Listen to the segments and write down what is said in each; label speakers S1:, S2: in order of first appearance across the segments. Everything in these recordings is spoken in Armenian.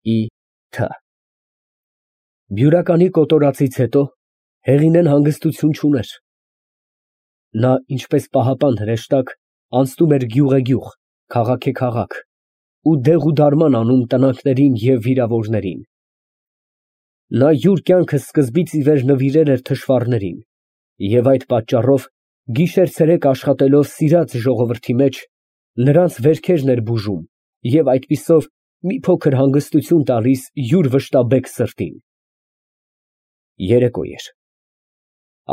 S1: Ի.Թ. Բյուրականի կոտորածից հետո Հեղինեն հանգստություն չուներ. նա ինչպես պահապան հրեշտակ անցնում էր գյուղեգյուղ, քաղաքեքաղաք ու դեղուդարման անում տնանքներին և վիրավորներին. նա յուր կյանքը սկզբից ի վեր նվիրել էր թշվառներին և այդ պատճառով գիշեր֊ցերեկ աշխատելով սիրած ժողովրդի մեջ, նրանց վերքերն էր բուժում և այդպիսով մի փոքր հանգստություն տալիս յուր վշտաբեկ սրտին։ Երեկո էր։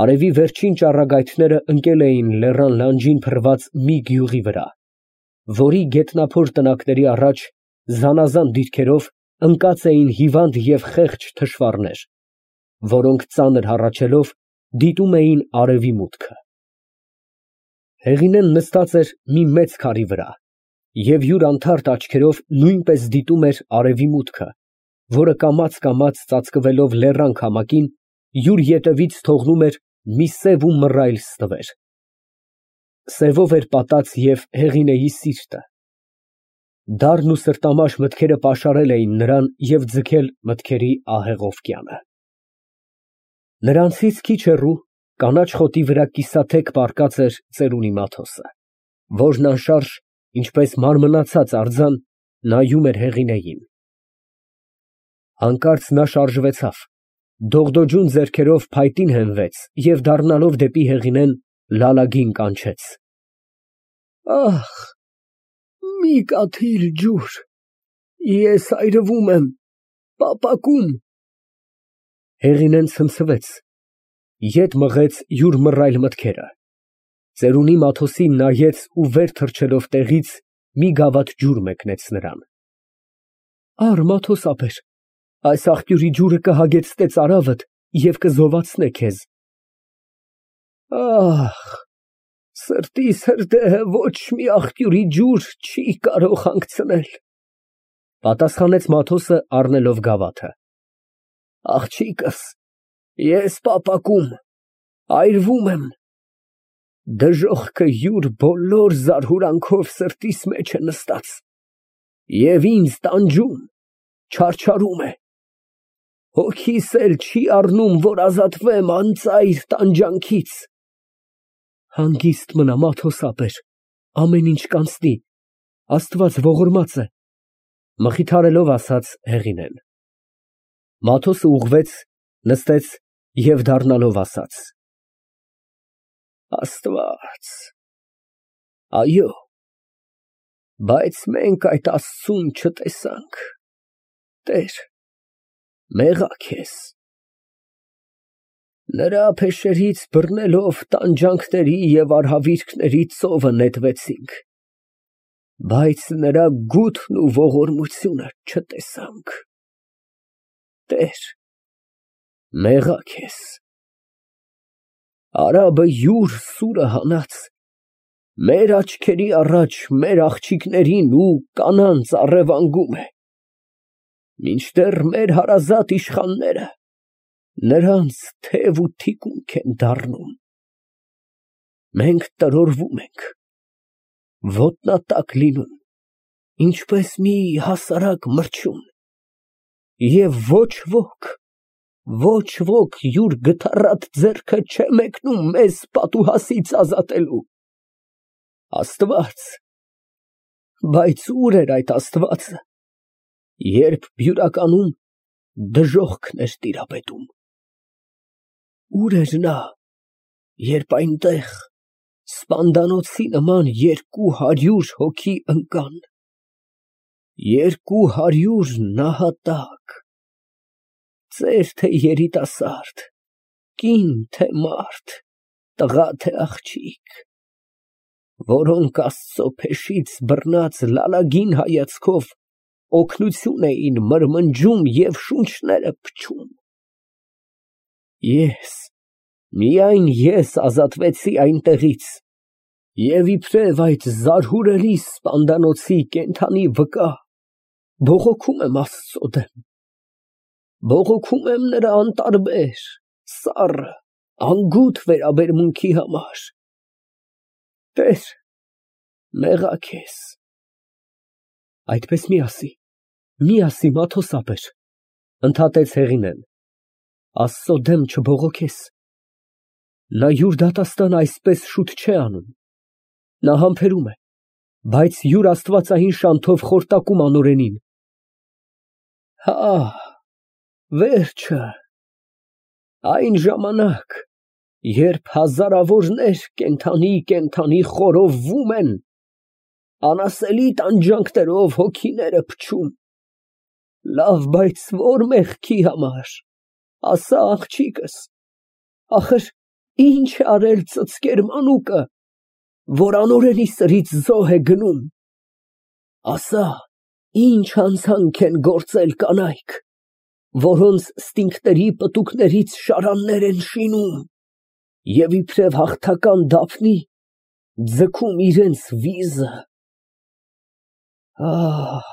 S1: Արևի վերջին ճառագայթները ընկել էին լեռան լանջին փռված մի գյուղի վրա, որի գետնափոր տնակների առաջ զանազան դիրքերով ընկած էին հիվանդ և խեղճ թշվառներ, որոնք ծանր հառաչելով դիտում էին արևի մուտքը։ Հեղինեն նստած էր մի մեծ քարի վրա և յուր անթարթ աչքերով նույնպես դիտում էր արևի մուտքը, որը կամաց ծածկվելով լեռան քամակին յուր ետևից թողնում էր մի սև ու մռայլ ստվեր։ Սևով էր պատած և Հեղինեի սիրտը։ Դառն ու սրտամաշ մտքերը պաշարել էին նրան և ձգել մտքերի ահեղ օվկիանը։ Նրանցից քիչ հեռու կանաչ խոտի վրա կիսաթեք պառկած էր ծերունի Մաթոսը, որն անշարժ, ինչպես մարմնացած արձան, նայում էր Հեղինեին։ Հանկարծ նա շարժվեցավ, դողդոջուն ձեռքերով փայտին հենվեց և դառնալով դեպի Հեղինեն լալագին կանչեց. Ախ, մի կաթիլ ջուր, ես այրվում եմ, պապակում։ Հեղինեն ցնցվեց, ետ մղեց յուր մռայլ մտքերը, ծերունի Մաթոսին նայեց ու վեր թռչելով տեղից մի գավաթ ջուր մեկնեց նրան։ Առ, Մաթոս ապեր, այս աղբյուրի ջուրը կհագեցնե ծարավդ և կզովացնե քեզ։ Ախ, սրտիս հրդեհը ոչ մի աղբյուրի ջուր չի կարող հանգցնել, պատասխանեց Մաթոսը առնելով գավաթը։ Աղջիկս, ես պապակում, այրվում եմ, դժոխքը յուր բոլոր զարհուրանքով սրտիս մեջ է նստած և ինձ տանջում, չարչարում է, հոգիս էլ չի առնում, որ ազատվեմ անծայր տանջանքից։ Հանգիստ մնա, Մաթոս ապեր, ամեն ինչ կանցնի, Աստված ողորմած է, մխիթարելով ասաց Հեղինեն։ Մաթոսը ուղղվեց, նստեց և դառնալով ասաց. Աստված, այո, բայց մենք այդ Աստծուն չտեսանք, Տեր, մեղա քեզ։ Նրա փեշերից բռնելով տանջանքների և արհավիրքների ծովը նետվեցինք, բայց նրա գութն ու ողորմությունը չտեսանք, Տեր, մեղա քեզ։ Արաբը յուր սուրը հանած, մեր աչքերի առաջ մեր աղջիկներին ու կանանց առևանգում է, մինչդեռ մեր հարազատ իշխանները նրանց թև ու թիկունք են դառնում։ Մենք տրորվում ենք, ոտնատակ լինում, ինչպես մի հասարակ մրջյուն, և ոչ ոք յուր գթառատ ձեռքը չէ մեկնում մեզ պատուհասից ազատելու։ Աստված, բայց ուր էր այդ Աստվածը, երբ բյուրականում դժոխքն էր տիրապետում։ Ուր էր նա, երբ այնտեղ սպանդանոցի նման 200 հոգի ընկան, 200 նահատակ, ծեր թե երիտասարդ, կին թե մարդ, տղա թե աղջիկ, որոնք Աստծո փեշից բռնած լալագին հայացքով օգնություն էին մրմնջում և շունչները փչում։ Միայն ես ազատվեցի այնտեղից և իբրև այդ զարհուրելի սպանդանոցի կենդանի վկա բողոքում եմ Աստծո դեմ, բողոքում եմ նրա անտարբեր, սառը, անգութ վերաբերմունքի համար։ Տեր, մեղա քեզ։ Այդպես մի ասի, Մի ասի Մաթոս ապեր, ընդհատեց Հեղինեն, Աստծո դեմ չբողոքես։ Նա յուր դատաստանը այսպես շուտ չէ անում, նա համբերում է, բայց յուր աստվածային շանթով խորտակում անօրենին։ Հա, վերջը, այն ժամանակ, երբ հազարավորներ կենդանի խորովվում են, անասելի տանջանքներով հոգիները փչում, լավ, բայց որ մեղքի համար, ասա աղջիկս, ախր ինչ է արել ծծկեր մանուկը, որ անօրենի սրից զոհ է գնում, ասա, ինչ հանցանք են գործել կանայք, որոնց ստինքների պտուկներից շարաններ են շինում, և իբրև հաղթական դափնի ձգում իրենց վիզը։ Ահ,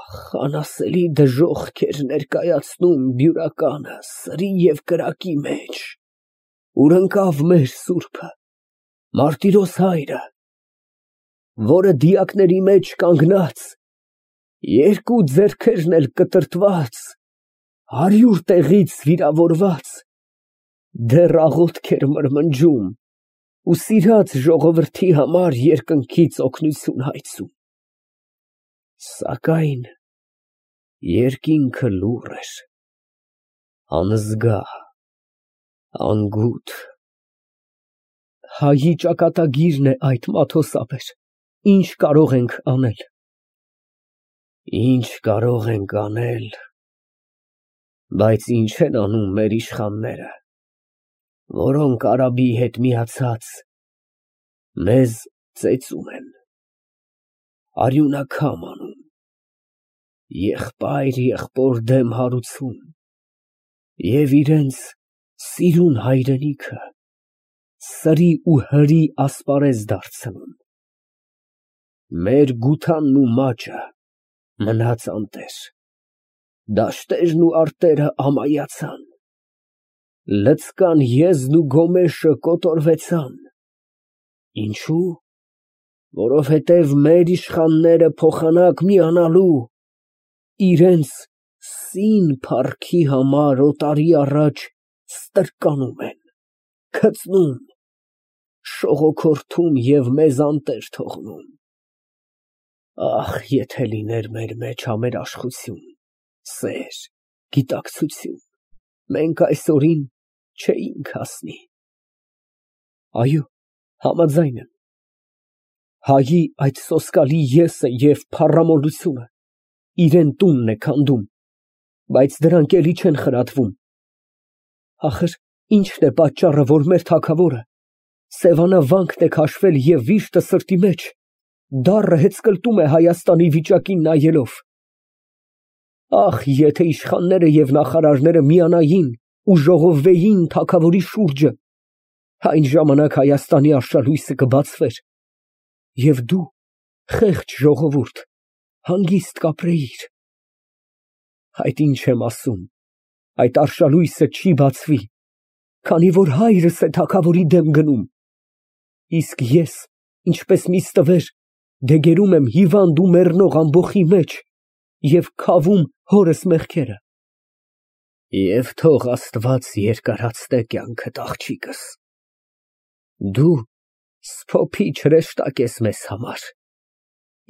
S1: անասելի դժոխք էր ներկայացնում բյուրականը սրի և կրակի մեջ, ուր ընկավ մեր սուրբը, Մարտիրոս հայրը, որը դիակների մեջ կանգնած, երկու ձեռքերն էլ կտրտված, 100 տեղից վիրավորված, դեռ աղոթք էր մրմնջում ու սիրած ժողովրդի համար երկնքից օգնություն հայցում, սակայն երկինքը լուռ էր, անզգա, անգութ։ Հայի ճակատագիրն է այդ, Մաթոս ապեր, ինչ կարող ենք անել։ Ինչ կարող ենք անել, բայց ինչ են անում մեր իշխանները, որոնք արաբի հետ միացած մեզ ծեծում են, արյունաքամ անում, եղբայր եղբոր դեմ հարուցում և իրենց սիրուն հայրենիքը սրի ու հրի ասպարեզ դարձնում։ Մեր գութանն ու մաճը մնաց անտեր, դաշտերն ու արտերը ամայացան, լցկան եզն ու գոմեշը կոտորվեցան, ինչու՞, որովհետև մեր իշխանները փոխանակ միանալու, իրենց սին փառքի համար օտարի առաջ ստրկանում են, քծնում, շողոքորթում և մեզ անտեր թողնում։ Ախ, եթե լիներ մեր մեջ համերաշխություն, սեր, գիտակցություն, մենք այսօրին չէինք հասնի։ Այո, համաձայն եմ, հայի այդ սոսկալի եսը և փառամոլությունը իրեն տունն է քանդում, բայց դրանք էլի չեն խրատվում։ Ախր ի՞նչն է պատճառը, որ մեր թագավորը սևանավանքն է քաշվել և վիշտը սրտի մեջ դառը հեծկլտում է Հայաստանի վիճակին նայելով։ Ախ, եթե իշխանները և նախարարները միանային ու ժողովվեին թագավորի շուրջը, այն ժամանակ Հայաստանի արշալույսը կբացվեր, և դու, խեղճ ժողովուրդ, հանգիստ կապրեիր։ Այդ ինչ եմ ասում, այդ արշալույսը չի բացվի, քանի որ հայրս է թագավորի դեմ գնում, իսկ ես, ինչպես մի ստվեր, դեգերում եմ հիվանդ ու մեռնող ամբոխի մեջ և քավում հորս մեղքերը։ Եվ թող Աստված երկարացնե կյանքդ, աղջիկս, դու սփոփիչ հրեշտակ ես մեզ համար,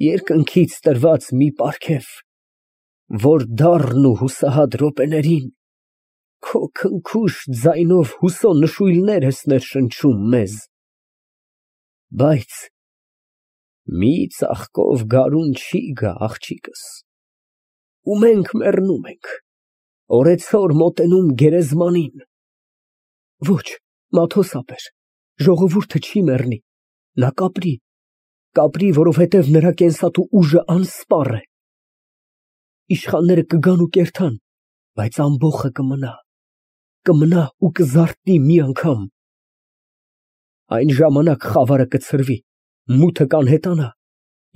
S1: երկնքից տրված մի պարգև, որ դառն ու հուսահատ րոպեներին քո քնքուշ ձայնով հուսո նշույլներ ես ներշնչում մեզ, բայց մի ծաղկով գարուն չի գա, աղջիկս, ու մենք մեռնում ենք, օրեցօր մոտենում գերեզմանին։ Ոչ, Մաթոս ապեր, ժողովուրդը չի մեռնի, նա կապրի, որովհետև նրա կենսատու ուժը անսպառ է։ Իշխանները կգան ու կերթան, բայց ամբոխը կմնա ու կզարթնի մի անգամ։ Այն ժամանակ խավարը կցրվի, մութը կանհետանա,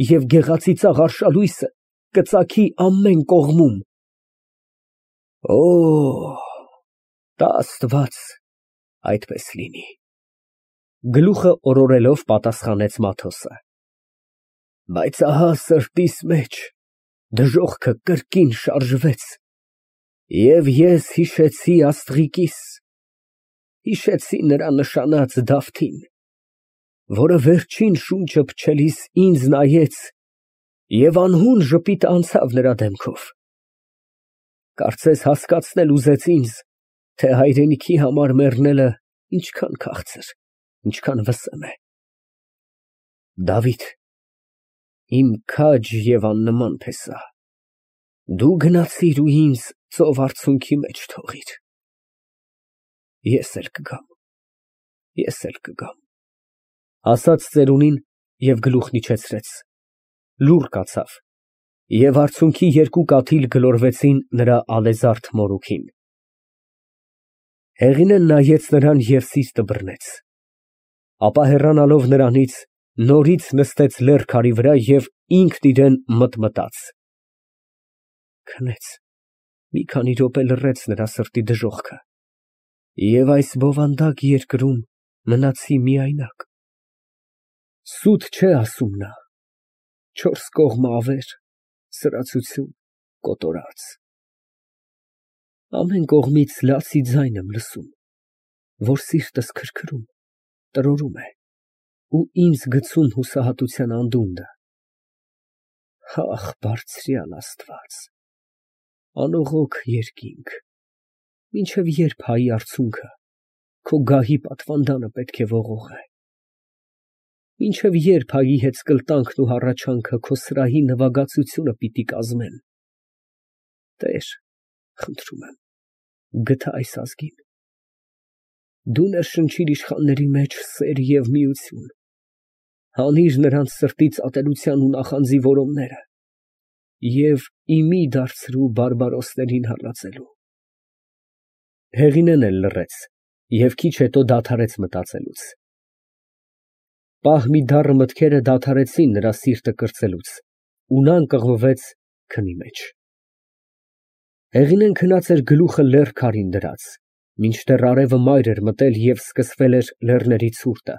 S1: և գեղեցիկ ծաղ արշալույսը կծագի ամեն կողմում։ Օ, տա Աստված, այդպես լինի։ Գլուխը օրորելով պատասխանեց Մաթոսը։ Բայց ահա սրտիս մեջ Դժողքը կրկին շարժվեց, և ես հիշեցի աստղիկիս, հիշեցի նրա նշանած Դավթին, որը վերջին շունչը փչելիս ինձ նայեց և անհուն ժպիտ անցավ նրա դեմքով, կարծես հասկացնել ուզեց ինձ, թե հայրենիքի համար մեռնելը ինչքան քաղցր, ինչքան վսեմ է։ Դավիթ, իմ քաջ և աննման փեսա, դու գնացիր ու ինձ ծով արցունքի մեջ թողիր։ Ես էլ կգամ, ասաց ծերունին և գլուխն իջեցրեց, լուռ կացավ, և արցունքի երկու կաթիլ գլորվեցին նրա ալեզարդ մորուքին։ Հեղինեն նայեց նրան և սիրտը բռնեց, ապա հեռանալով նրանից, նորից նստեց լեռ քարի վրա և ինքն իրան մտմտաց. քնեց, մի քանի րոպե լռեց նրա սրտի դժոխքը, և այս բովանդակ երկրում մնացի միայնակ։ Սուտ չէ ասում նա, չորս կողմը ավեր, սրածություն, կոտորած, ամեն կողմից լացի ձայն եմ լսում, որ սիրտս քրքրում, տրորում է ու ինձ գցում հուսահատության անդունդը։ Ահ, բարձրյալ Աստված, անողոք երկինք, մինչև ե՞րբ հայի արցունքը քո գահի պատվանդանը պետք է ողողե, մինչև ե՞րբ հայի հետ սկլտանքն ու հառաչանքը քո սրահի նվագածությունը պիտի կազմեն։ Տեր, խնդրում եմ, գթա այս ազգին, դու ներշնչիր իշխանների մեջ սեր և միություն, հանիր նրանց սրտից ատելության ու նախանձի որոմները և ի մի դարձրու բարբարոսներին հալածելու։ Հեղինեն էլ լռեց և քիչ հետո դադարեց մտածելուց։ Պահ մի դառը մտքերը դադարեցին նրա սիրտը կրծելուց, ու նա ընկղմվեց քնի մեջ։ Հեղինեն քնած էր գլուխը լեռ քարին դրած, մինչդեռ արևը մայր էր մտել և սկսվել էր լեռների ցուրտը,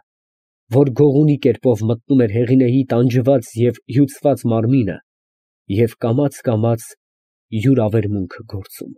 S1: որ գողունի կերպով մտնում էր Հեղինեի տանջված և հյուծված մարմինը և կամաց յուր ավերմունքը գործում։